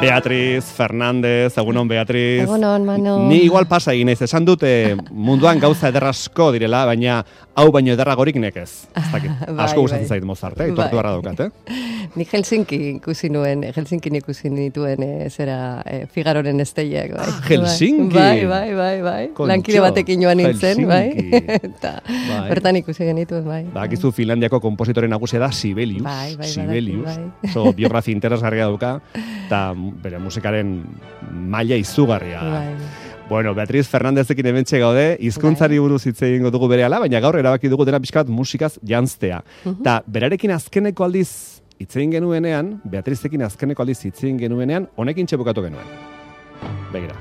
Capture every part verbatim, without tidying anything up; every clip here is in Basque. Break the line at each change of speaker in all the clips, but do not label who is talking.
Beatriz Fernández, egunon Beatriz.
Egunon, Manu.
Ni igual pasa egin naiz, esan dute munduan gauza ederrasko direla, baina hau baino ederragorik nekez. Ez dakit.
Bai,
Asko gustatzen
bai.
zait Mozart, eh? Itortu beharra daukat, eh?
Ni Helsinki ikusi nuen, Helsinkin ikusi nituen eh, zera eh, Figaroren esteiak, bai.
Helsinki?
Bai, bai, bai, bai.
Kontxo,
Lankide batekin joan nintzen, bai.
Helsinki.
Eta
Bai.
bertan ikusi genituen, bai.
Ba, akizu Finlandiako kompositore nagusia da Sibelius.
Bai, bai,
Sibelius.
badaki, bai.
Oso biografia interesgarria dauka, eta bere musikaren maila izugarria.
Bai.
Bueno, Beatriz Fernandezekin hementxe gaude, hizkuntzari buruz hitz egingo dugu berehala, baina gaur erabaki dugu dena pixka bat musikaz janztea. Ta berarekin azkeneko aldiz hitz egin genuenean, Beatrizekin azkeneko aldiz hitz egin genuenean, honekin txepukatu genuen. Begira.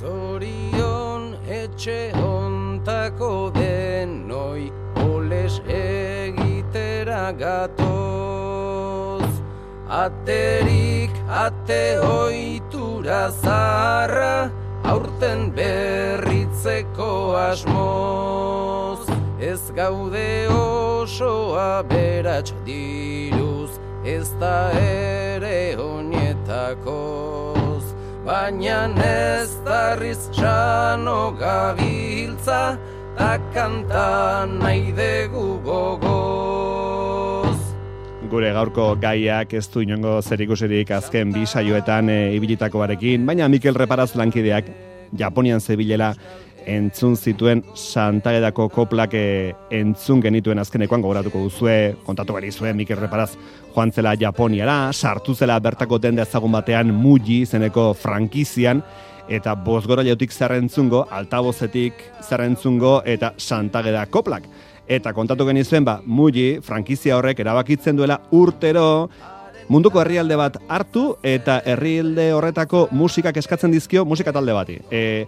Zorion etxe hontako denoi oles egitera gatoz. Aterik ate ohitura zaharra aurten berritzeko asmoz. Ez gaude oso aberats diruz, ez da ere oinetakoz. Baina ez darriz sano gabiltza, ta kanta nahi dugu gogoz.
Gure gaurko gaiak ez du inongo zerikusirik azken bi saioetan e, ibilitakoarekin, baina Mikel Reparaz lankideak Japonian zebilela entzun zituen Santagedako koplak e, entzun genituen azkenekoan gogoratuko duzue, kontatu gari zuen Mikel Reparaz joan zela Japoniara, sartu zela bertako denda ezagun batean Muji zeneko frankizian, eta bozgorailutik zerrentzungo, altabozetik zerrentzungo eta Santageda koplak. Eta kontatu genizuen, ba, Muji, frankizia horrek erabakitzen duela urtero munduko herrialde bat hartu eta herrialde horretako musikak eskatzen dizkio musika talde bati. E,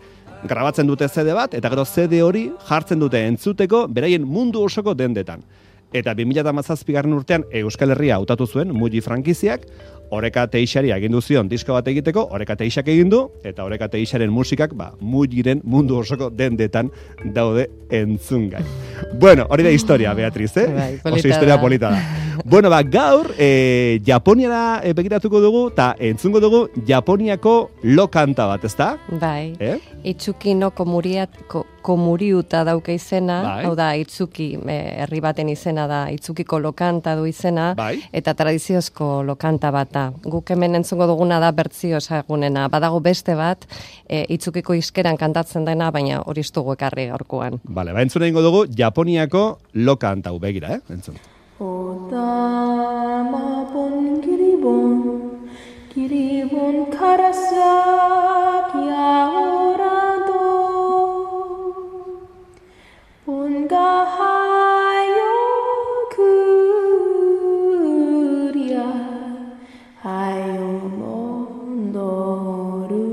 grabatzen dute C D bat eta gero C D hori jartzen dute entzuteko beraien mundu osoko dendetan. Eta bi mila hamazazpigarren urtean Euskal Herria hautatu zuen Muji frankiziak, Oreka Teixari agindu zion disko bat egiteko, Oreka Teixak egin du, eta Oreka Teixaren musikak ba, Mujiren mundu osoko dendetan daude entzungai. Bueno, hori da historia, Beatriz, eh?
Bai,
oso historia
da.
polita da. Bueno, ba, gaur, e, Japoniara e, begiratuko dugu, eta entzungo dugu Japoniako lo kanta bat, ezta?
Bai.
Eh?
Itsuki no komuriat, ko, komuriuta dauka izena,
Bai.
hau da, Itsuki e, herri baten izena da, Itsukiko lokanta du izena,
Bai.
eta tradiziozko lokanta bat da. Guk hemen entzungo duguna da bertzio ezagunena. Badago beste bat, e, Itsukiko iskeran kantatzen dena, baina hori ez dugu ekarri gaurkoan.
Bale, ba, entzun egingo dugu Japoniako lo kanta, begira, eh? Entzun.
Otama bon kiribon, kiribon karasaki ahorado, bon ga hayo kuria, hayo mondoru.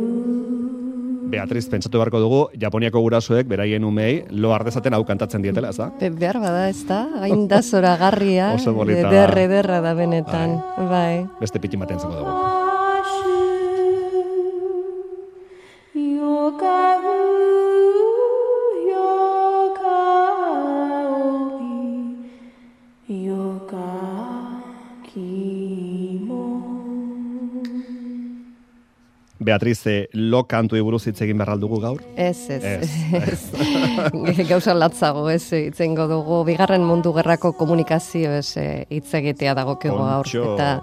Beatriz, pentsatu beharko dugu, Japoniako gurasoek, beraien umei, lo ardezaten hau kantatzen dietela, ez da?
Be- Behar bada ez da, hain da zoragarria,
Oso polita da.
ederre ederra da benetan, bai.
Beste pitin bat entzuko dugu. Beatriz, eh, lo kantuei buruz hitz egin behar dugu gaur?
Ez, ez,
Ez,
ez. Gauza latzago, ez, itzengo dugu, bigarren mundu gerrako komunikazio ez hitz egitea dagokigu gaur.
Kontxo.
Eta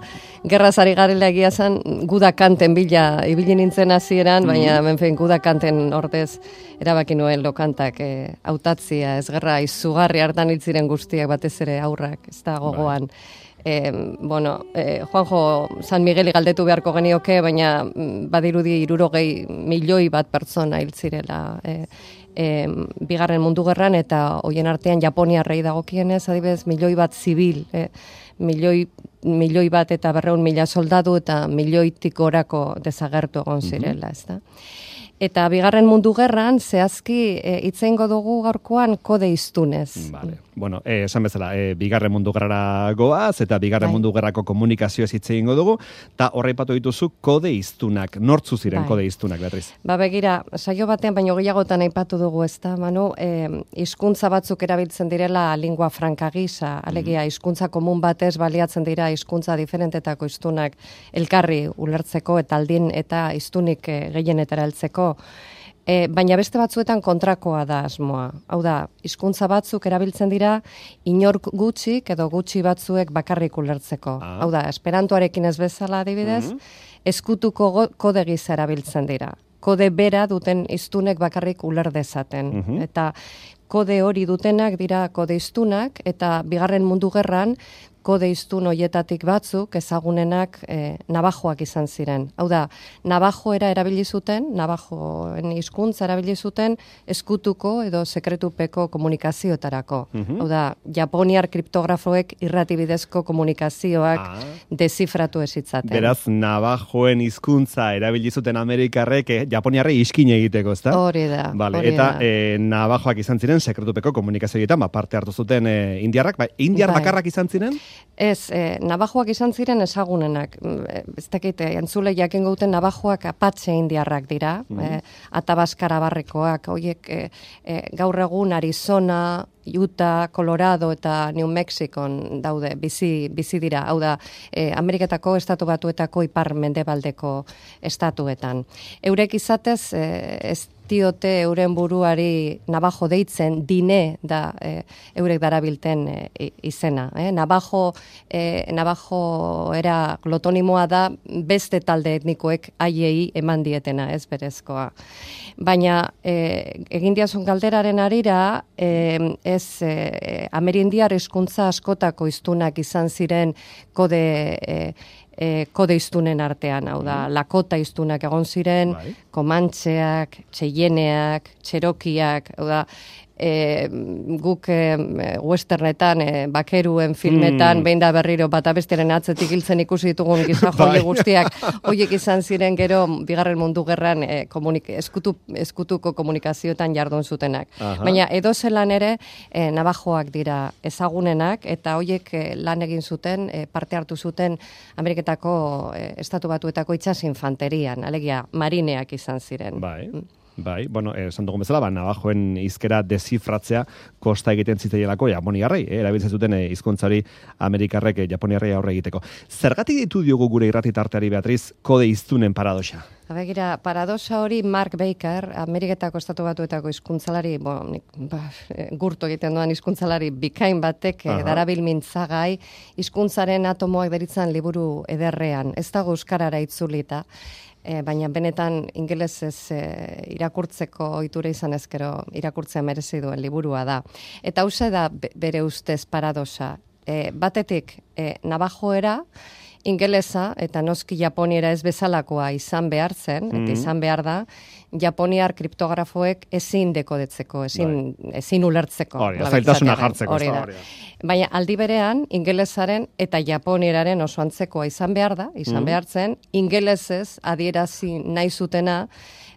gerrazari garela egia zen, guda kanten bila, ibili nintzen hasieran, baina,
Mm.
menfen, guda kanten ordez, erabaki nuen lokantak e, hautatzia, ez gerra, izugarri hartan hil ziren guztiak batez ere aurrak, ez da gogoan. E, bueno, e, Juanjo San Migueli galdetu beharko genioke, baina mm, badirudi hirurogei milioi bat pertsona hil zirela e, e, bigarren mundu gerran, eta hoien artean Japoniarrei dagokienez, adibidez, milioi bat zibil, e, milioi, milioi bat eta berreun mila soldadu eta milioitik gorako desagertu egon zirela, ez da? Eta bigarren mundu gerran, zehazki hitz e, eingo dugu gaurkoan kode hiztunez.
Vale. Bueno, eh, esan bezala, eh, bigarren mundu gerrara goaz, eta bigarren bai. mundu gerrako komunikazioa hitz egingo dugu, eta horra ipatu dituzu kode hiztunak. Nortzu ziren bai. kode hiztunak, Beatriz?
Ba begira, saio batean baino gehiagotan aipatu dugu, ezta, Manu, eh, hizkuntza batzuk erabiltzen direla lingua franca gisa, alegia hizkuntza komun batez baliatzen dira hizkuntza diferentetako hiztunak elkarri ulertzeko eta aldin eta hiztunik eh, gehienetara heltzeko. E, baina beste batzuetan kontrakoa da asmoa. Hau da, hizkuntza batzuk erabiltzen dira inork gutxik edo gutxi batzuek bakarrik ulertzeko. Ah. Hau da, esperantoarekin ez bezala adibidez, mm-hmm. eskutuko kode gisa erabiltzen dira. Kode bera duten hiztunek bakarrik uler dezaten. Mm-hmm. Eta kode hori dutenak dira kode hiztunak, eta bigarren mundu gerran kode hiztun hoietatik batzuk ezagunenak e, nabajoak izan ziren. Hau da, nabajoera erabili zuten, nabajoen hizkuntza erabili zuten eskutuko edo sekretupeko komunikazioetarako. Mm-hmm. Hau da, japoniar kriptografoek irratibidezko komunikazioak ah. dezifratu ezitzaten.
Beraz, nabajoen hizkuntza erabili zuten Amerikarrek eh, japoniarrei iskin egiteko, ezta?
Hori da.
Vale,
hori
eta
da.
E, nabajoak izan ziren sekretupeko komunikazioetan, ba, parte hartu zuten e, indiarrak, ba, indiar bai. bakarrak izan ziren?
Ez, eh, nabajoak izan ziren ezagunenak. Ez dakit, entzule jakin gauten nabajoak apatxe indiarrak dira, mm. eh, atabaskara barrekoak, horiek eh, eh, gaur egun Arizona, Utah, Colorado eta New Mexicon daude, bizi, bizi dira. Hau da, eh, Ameriketako estatu batuetako ipar mendebaldeko estatuetan. Eurek izatez, eh, ez diote euren buruari nabajo deitzen, dine da e, eurek darabilten e, izena. Eh? Nabajo, e, nabajo era glotonimoa da beste talde etnikoek haiei eman dietena, ez berezkoa. Baina e, egin diazun galderaren arira, e, ez e, amerindiar hizkuntza askotako hiztunak izan ziren kode e, E, kode hiztunen artean, hau da, mm. lakota hiztunak egon ziren, bai. Komantxeak, txeieneak, txerokiak, hau da, e, guk e, westernetan, e, bakeruen filmetan, mm. behin da berriro bata bestiaren atzetik hiltzen ikusi ditugun gizan joie guztiak, hoiek izan ziren gero bigarren mundu gerran e, komunik, eskutu, eskutuko komunikazioetan jardun zutenak. Aha. Baina edo zelan ere, e, nabajoak dira ezagunenak, eta hoiek e, lan egin zuten, e, parte hartu zuten Ameriketako e, estatu batuetako itsas infanterian, alegia marineak izan ziren.
Bai. Bai, bueno, esan dugun bezala, ba, nabajoen hizkera dezifratzea kosta egiten zitzaielako japoniarrei, eh, erabiltzen zuten eh, hizkuntza hori Amerikarrek eh, japoniarrei aurre egiteko. Zergatik ditu diogu gure irrati tarteari, Beatriz, kode hiztunen paradoxa?
Begira, paradoxa hori Mark Baker, Ameriketako estatu batuetako hizkuntzalari, bo, nik, ba, gurtu egiten duan hizkuntzalari bikain batek uh-huh. darabil mintzagai, hizkuntzaren atomoak deritzan liburu ederrean, ez dago euskarara itzulita. E, baina benetan ingelesez e, irakurtzeko ohitura izan ezkero irakurtzea merezi duen liburua da. Eta hauxe da bere ustez paradoxa. E, batetik e, nabajoera, ingelesa eta noski japoniera ez bezalakoa izan behar zen, mm-hmm. eta izan behar da, japoniar kriptografoek ezin dekodetzeko, ezin, ezin ulertzeko.
Hori, zailtasuna jartzeko.
Hori da. Baina aldi berean, ingelesaren eta japonieraren oso antzekoa izan behar da, izan mm-hmm. behar zen, ingelesez adierazi nahi zutena,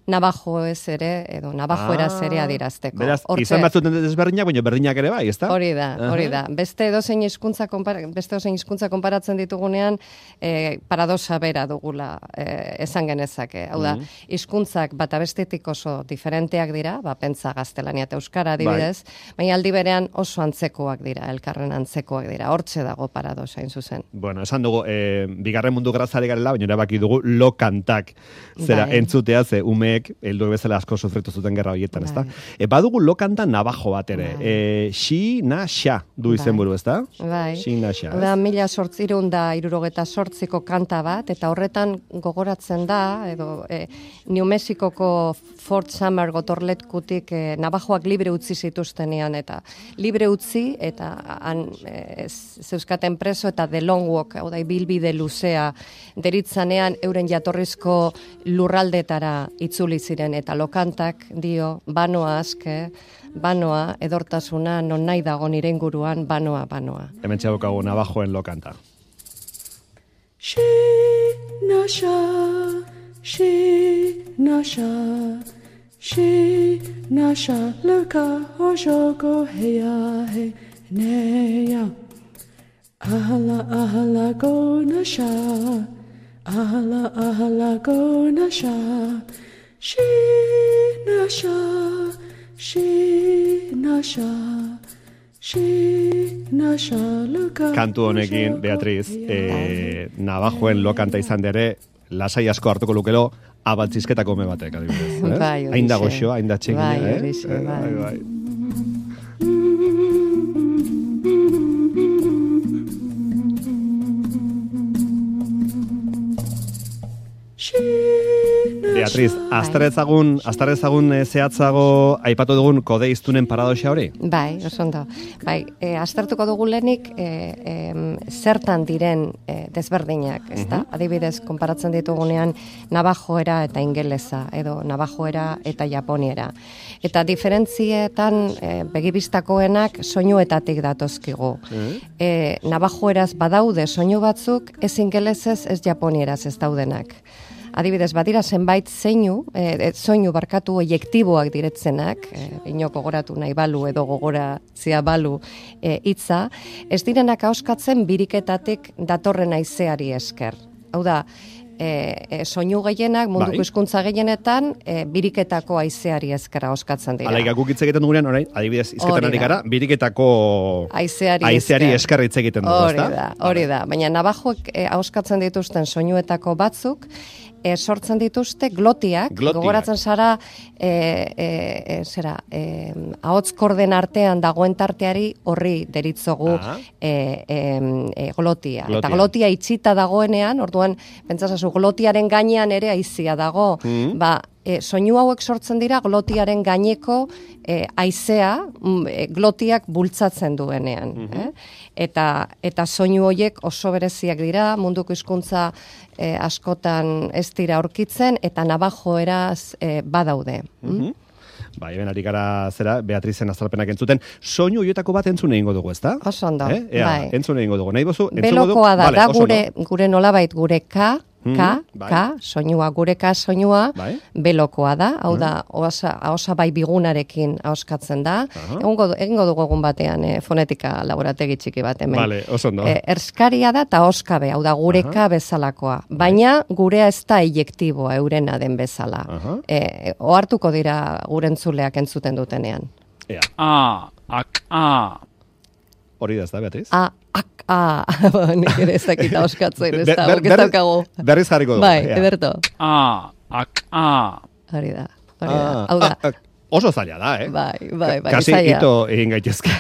nabajoez ere, edo nabajoeraz ah, ere adierazteko.
Beraz, Hortze, izan batzuten desberdinak, baina berdinak ere bai, ezta?
Hori da, hori da. Beste edozein hizkuntza konpara, beste edozein hizkuntza konparatzen ditugunean, eh, paradoxa bera dugula eh, esan genezake. Hau da, hizkuntzak mm. bata bestetik oso diferenteak dira, ba, pentsa gaztelania eta euskara adibidez, bai. baina aldi berean oso antzekoak dira, elkarren antzekoak dira. Hortze dago paradoxa in zuzen.
Bueno, esan dugu, eh, bigarren mundu gerrazari garela, baina erabaki dugu lo kantak. Zera, bai. entzutea ze ume heldu bezala asko sufritu zuten gerra horietan, ezta? E, badugu lokanta nabajo bat ere. E, xi, na, xa du izenburu, ezta?
Bai.
Xi, na, xa.
Da, mila sortzirun da irurogeta sortziko kanta bat, eta horretan gogoratzen da, edo e, New Mexicoko Fort Summer gotorletkutik e, nabajoak libre utzi zituztenean, eta libre utzi, eta han e, zeuskaten preso, eta The Long Walk, hau da, bilbide luzea, deritzanean euren jatorrizko lurraldetara itzuli ziren, eta lokantak dio, banoa aske, banoa, edortasuna, non nahi dago nire inguruan, banoa, banoa.
Hemen txabukagu nabajoen lokanta.
She, nasha, she, nasha,
Shi nasha luka ojoko heya he neya. Ahala ahala go nasha. Ahala ahala go nasha. Shi nasha. Shi nasha. Shi nasha luka.
Kantu honekin, Beatriz, eh, Navajoen lokanta izan dere, lasai asko hartuko lukelo, abaltzizketako me batek, adibidez. Eh?
Bai, horixe.
Hain da goxo, hain da txekin.
Bai,
eh?
horixe,
Eh,
bai.
bai, bai. Beatriz, aztarezagun, aztarezagun e, zehatzago aipatu dugun kode iztunen paradoxa hori?
Bai, oso ondo. Bai, e, aztertuko dugu lehenik e, e, zertan diren e, desberdinak, ezta? Adibidez, konparatzen ditugunean navajoera eta ingelesa, edo navajoera eta japoniera. Eta diferentzietan e, begibistakoenak soinuetatik datozkigu. E, navajoeraz badaude soinu batzuk, ez ingelesez, ez japonieraz ez daudenak. Adibidez, badira zenbait zeinu, e, soinu barkatu oiektiboak diretzenak, e, inok gogoratu nahi balu edo gogoratzia balu e, hitza, ez direnak ahoskatzen biriketatik datorren haizeari esker. Hau da, e, e, soinu gehienak, munduko
Bai.
hizkuntza gehienetan, e, biriketako haizeari esker ahoskatzen dira.
Alaik, guk hitz egiten dugunean, orain, adibidez, izketan
Hori
ari
da.
gara, biriketako
Haizeari
haizeari
esker.
esker hitz egiten dugu,
Hori
ezta?
da, hori da. Baina navajoek e, ahoskatzen dituzten soinuetako batzuk, e, sortzen dituzte glotiak,
Glotiak.
gogoratzen zara, e, e, e, zera, e, ahots korden artean dagoen tarteari horri deritzogu
Ah.
e, e, e, glotia.
Glotia.
Eta glotia itxita dagoenean, orduan, pentsasazu, glotiaren gainean ere haizia dago,
Mm.
ba, E, soinu hauek sortzen dira glotiaren gaineko e, haizea mm, e, glotiak bultzatzen duenean. eh? Eta, eta soinu horiek oso bereziak dira, munduko hizkuntza e, askotan ez dira aurkitzen, eta navajoeraz e, badaude. Mm?
Bai, hemen ari gara zera, Beatrizen azalpenak entzuten. Soinu horietako bat entzun egingo dugu, ezta?
Oso ondo,
Eh? Ea,
bai.
entzun egingo dugu. Nahi bozu, entzungo dugu?
Belokoa da,
Vale,
da
oso
gure,
ondo.
gure nolabait gure ka, ka,
bai.
ka, soinua, gure ka soinua,
Bai.
belokoa da, hau da, osa, ahosa bai bigunarekin ahoskatzen da.
Aha.
Egongo, du- egingo dugu egun batean eh, fonetika laborategi txiki bat hemen.
Vale, oso ondo.
Eh, erskaria da eta oskabe, hau da gureka bezalakoa. Baina gurea ez da eiektiboa eurena den bezala.
Aha.
Eh, ohartuko dira gure entzuleak entzuten dutenean.
Ea,
A, ak, a.
hori da, ez da, Beatriz?
A, ak, a. Nik ere ez dakita oskatzen, ez
Ber-
da,
ber-
ez
berriz-
daukagu.
Berriz jarriko dugu.
Bai,
ea.
ederto.
A, ak, a.
Hori da, hori
Ah,
da. Hau da,
ah, ah, oso zaila da, eh?
bai, bai, bai,
Kasi
zaila.
ito egin gaitezke.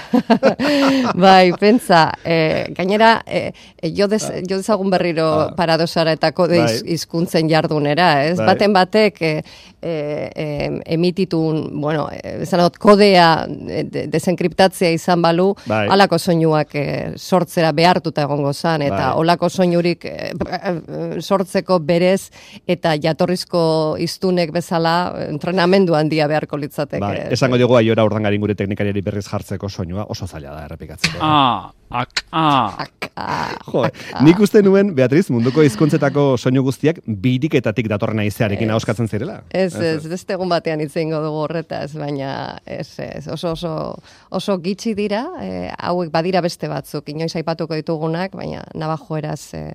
Bai, pentsa, eh, gainera, eh, jo, des, jo dezagun berriro
Ah.
paradosara eta kode
Bai.
iz- hizkuntzen jardunera, ez?
Bai.
Baten batek eh, eh, eh, emititun, bueno, eh, esan dut, kodea eh, de, desenkriptatzea izan balu,
Bai.
halako soinuak eh, sortzera behartuta egongo zan, eta
Bai.
holako soinurik eh, eh, sortzeko berez, eta jatorrizko hiztunek bezala eh, entrenamendu handia beharko litzateke.
Bai, esango diogu aiora urdangarin gure teknikariari berriz jartzeko soinua, oso zaila da errepikatzeko.
A, ak, a.
Ak, ah,
Jo,
ak, ah.
nik uste nuen, Beatriz, munduko hizkuntzetako soinu guztiak biriketatik datorren haizearekin ahoskatzen zirela.
Ez, ez, beste egun batean hitz egingo dugu horretaz, baina ez, ez, oso, oso, oso gitxi dira, eh, hauek badira beste batzuk, inoiz aipatuko ditugunak, baina navajoeraz eh,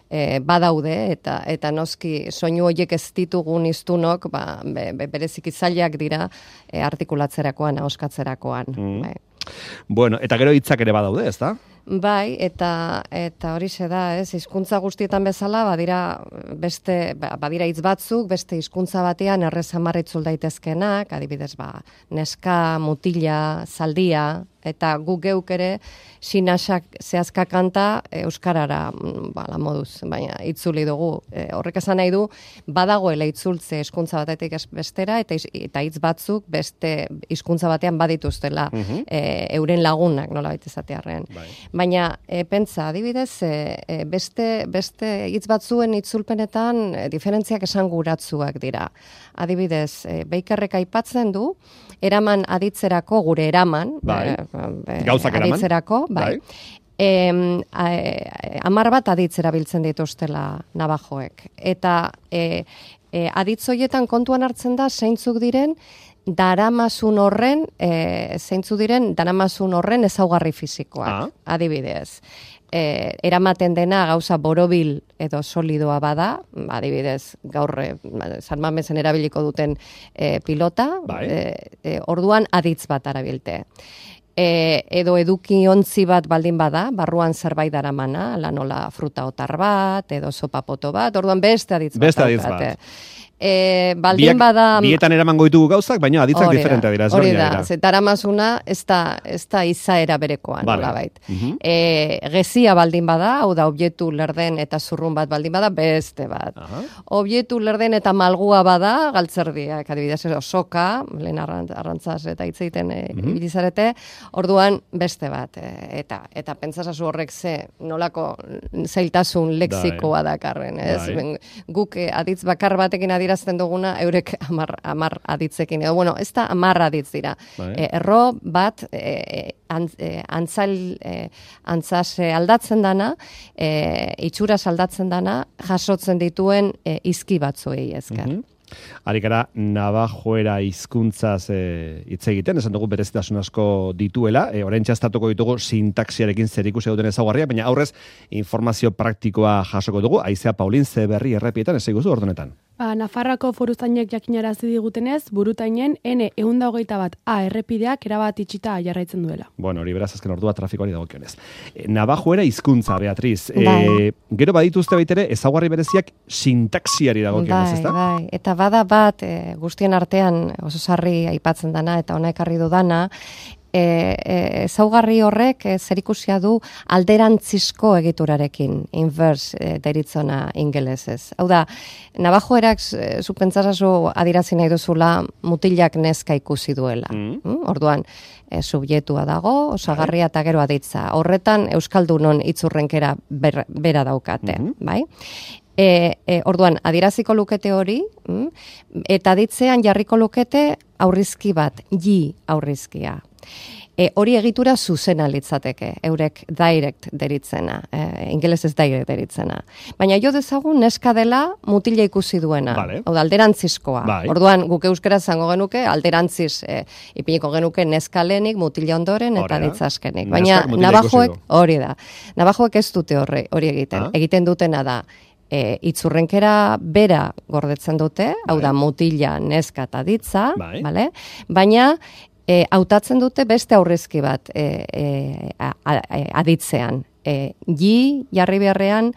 eh, badaude, eta eta noski soinu horiek ez ditugun hiztunok, ba, be, be, bereziki zailak dira eh, artikulatzerakoan, ahoskatzerakoan. Bai.
Bueno, eta gero hitzak ere badaude, ezta?
Bai, eta eta horixe da, ez, hizkuntza guztietan bezala, badira beste ba- badira hitz batzuk, beste hizkuntza batean errez hamar itzul daitezkenak, adibidez, ba, neska, mutila, zaldia, eta guk geuk ere sinasak zehazka kanta e, euskarara mm, ba, la moduz, baina itzuli dugu. E, horrek esan nahi du, badagoela itzultze hizkuntza batetik ez bestera, eta iz- eta hitz batzuk beste hizkuntza batean badituztela e, euren lagunak, nolabait esatearren.
Bai.
Baina, e, pentsa, adibidez, e, e, beste, beste hitz batzuen itzulpenetan e, diferentziak esanguratsuak dira. Adibidez, e, Beikerrek aipatzen du, eraman aditzerako, gure eraman,
Bai.
e, e,
Gauzak eraman.
aditzerako, bai.
Bai.
Em, a- hamar bat aditz erabiltzen dituztela navajoek. Eta e, E, aditz horietan kontuan hartzen da zeintzuk diren daramasun horren, e, zeintzuk diren daramasun horren ezaugarri fisikoak,
Ah.
adibidez. E, eramaten dena gauza borobil edo solidoa bada, adibidez, gaur e, San Mamesen erabiliko duten e, pilota,
Bai.
e, e, orduan aditz bat arabilte. E, edo eduki ontzi bat baldin bada, barruan zerbait daramana, la nola fruta otar bat, edo sopapoto bat, orduan beste aditz bat.
Beste aditz
daukate.
bat.
E, baldin
Biak,
bada...
bietan eramango ditugu gauzak, baina aditzak
Hori da,
diferentea dira.
Hori
ezberdinak
da,
dira.
ze daramazuna ez da, ez da izaera berekoan,
Vale.
nolabait.
Mhm.
E, gezia baldin bada, hau da, objektu lerden eta zurrun bat baldin bada, beste bat.
Aha.
Objektu lerden eta malgua bada, galtzerdiak, adibidez, edo soka, lehen arrant- arrantzaz eta hitz egiten e,
Mhm.
ibili zarete, orduan beste bat. E, eta eta pentsasazu horrek ze nolako zailtasun lexikoa dakarren, ez?
Bai.
Ben, guk eh, aditz bakar batekin adierazten duguna, eurek amar, amar aditzekin. Edo, bueno, ez da amar aditz dira.
Bai.
E, erro bat, e, antz, e, antzal, e, antzaz e, aldatzen dana, e, itxuraz aldatzen dana, jasotzen dituen e, izki batzuei ezker.
Mhm. Ari gara, Navajoera hizkuntzaz e, hitz egiten, esan dugu berezitasun asko dituela, e, orain txastatuko ditugu sintaxiarekin zerikusi duten ezaugarria, baina aurrez informazio praktikoa jasoko dugu, Aizea Paulin Zeberri errepietan, ez eguzu ordunetan.
Ba, Nafarroako foruzainek jakinarazi digutenez, burutainen N ehun eta hogeita bat A errepideak erabat itxita jarraitzen duela.
Bueno, hori beraz azken ordua trafikoari dagokionez. E, Navajoera hizkuntza, Beatriz. E,
Bai.
gero badituzte baitere ezaugarri bereziak sintaxiari dagokionez,
Bai,
ezta?
bai. Eta bada bat, e, guztien artean oso sarri aipatzen dana eta ona ekarri dudana, e, e, ezaugarri horrek e, zerikusia du alderantzizko egiturarekin, inverse e, deritzona ingelesez. Hau da, Navajoerak e, zu pentsasazu adirazi nahi duzula mutilak neska ikusi duela.
Mm.
Mm? Orduan, e, subjetua dago, osagarria eta gero aditza. Horretan Euskaldunon itzurrenkera ber, bera daukate,
Mhm.
bai? E, e, orduan, adieraziko lukete hori, mm, eta ditzean jarriko lukete aurrizki bat, ji aurrizkia. E, hori egitura zuzena litzateke, eurek direct deritzena, e, ingelesez direct deritzena. Baina jo dezagun neska dela mutila ikusi duena,
Vale.
hau da, alderantzizkoa.
Bai.
Orduan, guk euskara zango genuke, alderantziz e, ipiniko genuke neska lehenik, mutila ondoren eta
Hori da.
ditzazkenik.
Neskak
Baina
mutila
Navajoek,
ikusi du.
hori da, Navajoek ez dute horre, hori egiten.
Ah.
Egiten dutena da, E, itzurrenkera bera gordetzen dute, hau da mutila, neska eta ditza,
Bai.
bale? Baina e, hautatzen dute beste aurrezki bat e, e, a, a, aditzean. E, ji jarri beharrean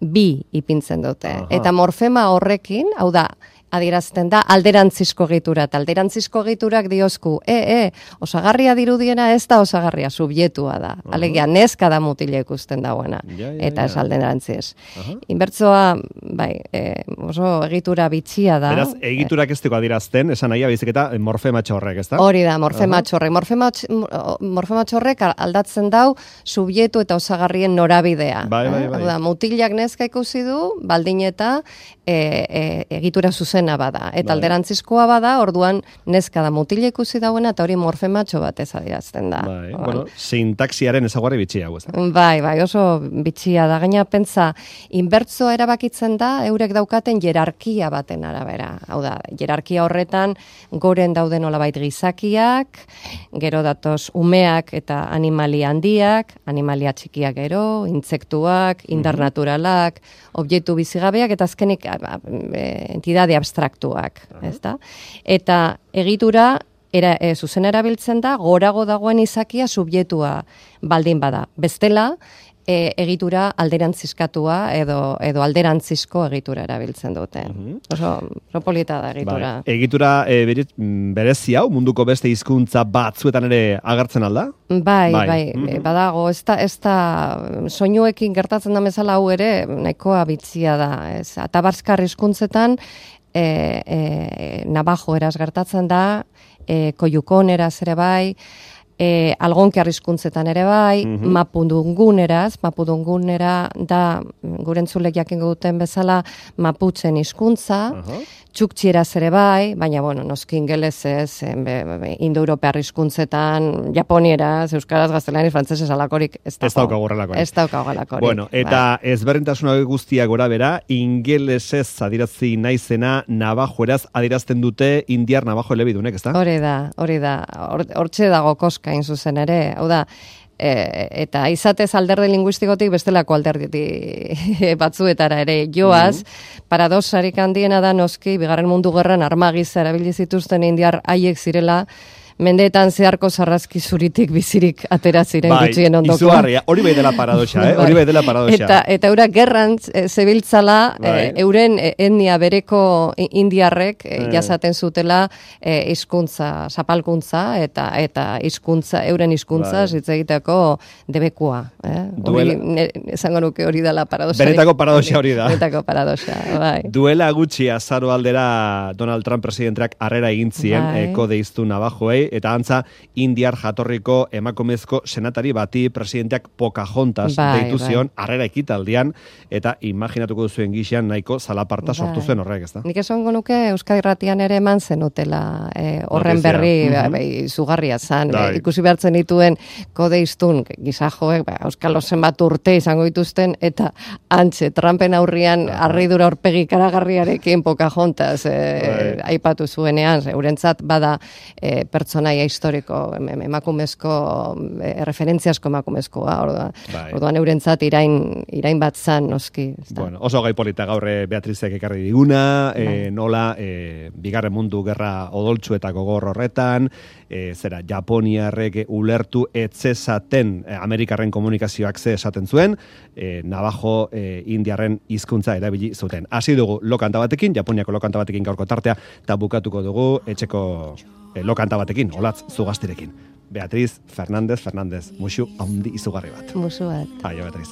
bi ipintzen dute.
Aha.
Eta morfema horrekin, hau da, adierazten da alderantzizko egitura, eta alderantzizko egiturak diozku, e, e, osagarria dirudiena ez da osagarria, subjetua da. Alegia, neska da mutila ikusten dagoena,
Ja, ja,
eta
ja.
ez alderantziz.
Aha.
Inbertsoa, bai, e, oso egitura bitxia da.
Beraz, egiturak ez dugu adierazten, esan nahia baizik eta morfematxo horrek, ezta?
Hori da, morfematxo horrek. Morfematx- Morfematxo horrek aldatzen dau subjetu eta osagarrien norabidea.
Bai, bai, bai.
Hau da, mutilak neska ikusi du, baldin eta e, e, egitura zuzena bada. Eta
Bai.
alderantzizkoa bada, orduan neska da mutila ikusi dauena, eta hori morfematxo bat ez adierazten da.
Bai,
Orduan,
bueno, sintaxiaren ezaugarri bitxia hau, ezta?
Bai, bai, oso bitxia da. Gaina pentsa, inbertsoa erabakitzen da, eurek daukaten jerarkia baten arabera. Hau da, jerarkia horretan goren daude nolabait gizakiak, gero datoz umeak eta animalia handiak, animalia txikiak gero, intsektuak, indar naturalak, objektu bizigabeak, eta azkenik a, a, e, entidade abstraktuak, ezta? Eta egitura era, e, zuzen erabiltzen da, gorago dagoen izakia subjetua baldin bada. Bestela, e, egitura alderantzizkatua edo, edo alderantzizko egitura erabiltzen dute. Oso, oso polita da egitura.
Bai. Egitura e, bere- mm, berezi hau, munduko beste hizkuntza batzuetan ere agertzen alda?
Bai,
Bai.
bai,
Mhm.
e, badago, ez da, ez da, soinuekin gertatzen da bezala hau ere, nahikoa bitzia da, ez, atabarskar hizkuntzetan, e, e, Navajo eraz gertatzen da, e, koiukon eraz ere bai, e, algonkiar hizkuntzetan ere bai,
Mhm.
mapudunguneraz, mapudungunera da, gure entzulek jakingo duten bezala, maputzen hizkuntza,
Aha.
txuktxieraz ere bai, baina, bueno, noski ingelesez, indo-europear hizkuntzetan, japonieraz, euskaraz, gaztelaniaz, frantzesez alakorik, ez
Ez daukagu horrelakorik.
Ez daukagu horrelakorik.
Bueno, eta
bai.
ezberdintasun hauek guztiak gora bera, ingelesez adirazi naizena, nabajoeraz adirazten dute indiar nabajo elebidunek, ezta?
Hori da, hori da. Hortxe dago koska in zuzen ere. Hau da, e, eta izatez alderdi linguistikotik bestelako alderdi batzuetara ere joaz, mm-hmm. paradoxarik handiena da noski, bigarren mundu gerran armagiza erabili zituzten indiar haiek zirela, mendeetan zeharko sarrazki zuritik bizirik atera ziren
bai,
gutxien ondoko.
Izugarria, hori bai dela paradoxa, eh? Hori bai dela paradoxa.
Eta, eta eurak gerran e, zebiltzala,
bai.
e, euren etnia bereko indiarrek e, jasaten zutela e, hizkuntza, zapalkuntza eta eta hizkuntza, euren hizkuntza
bai.
hitz egiteko debekua. Eh? Hori, ne, esango nuke hori dela paradoxa.
Benetako paradoxa hori da.
Benetako paradoxa, bai.
Duela gutxi azaro aldera Donald Trump presidenteak harrera egin zien
bai.
e, kode iztu nabajoei, eta antza indiar jatorriko emakumezko senatari bati presidenteak Pocahontas
bai,
deitu zion
bai.
harrera ekitaldian, eta imaginatuko duzuen gixean nahiko zalaparta sortu
Bai.
zuen horrek, ezta?
Nik esango nuke Euskadi Irratian ere eman zenutela e, horren
Notizia.
berri
Mhm.
bai, bai, zugarria zan.
Bai.
E, ikusi behartzen dituen kodeiztun gizajoek, ba, Euskal zenbat urte izango dituzten, eta antxe, Trumpen aurrian harridura aurpegi karagarriarekin Pocahontas e,
Bai.
aipatu zuenean, eurentzat bada e, pertsonaia historiko, em- em- emakumezko, e, referentziasko emakumezkoa, orduan,
Bai.
orduan eurentzat irain, irain bat zan, noski. ezta?
Bueno, oso gai polita gaur eh, Beatrizek ekarri diguna, eh, nola eh, bigarren mundu gerra odoltsu eta gogor horretan, eh, zera Japoniarrek ulertu etzezaten eh, Amerikarren komunikazioak ze esaten zuen, eh, Navajo eh, indiarren hizkuntza erabili zuten. Hasi dugu lokanta batekin, Japoniako lokanta batekin gaurko tartea, eta bukatuko dugu etxeko eh, lokanta batekin, olatz zugastirekin. Beatriz Fernández Fernández, musu handi izugarri bat.
Musu bat.
Aio, Beatriz.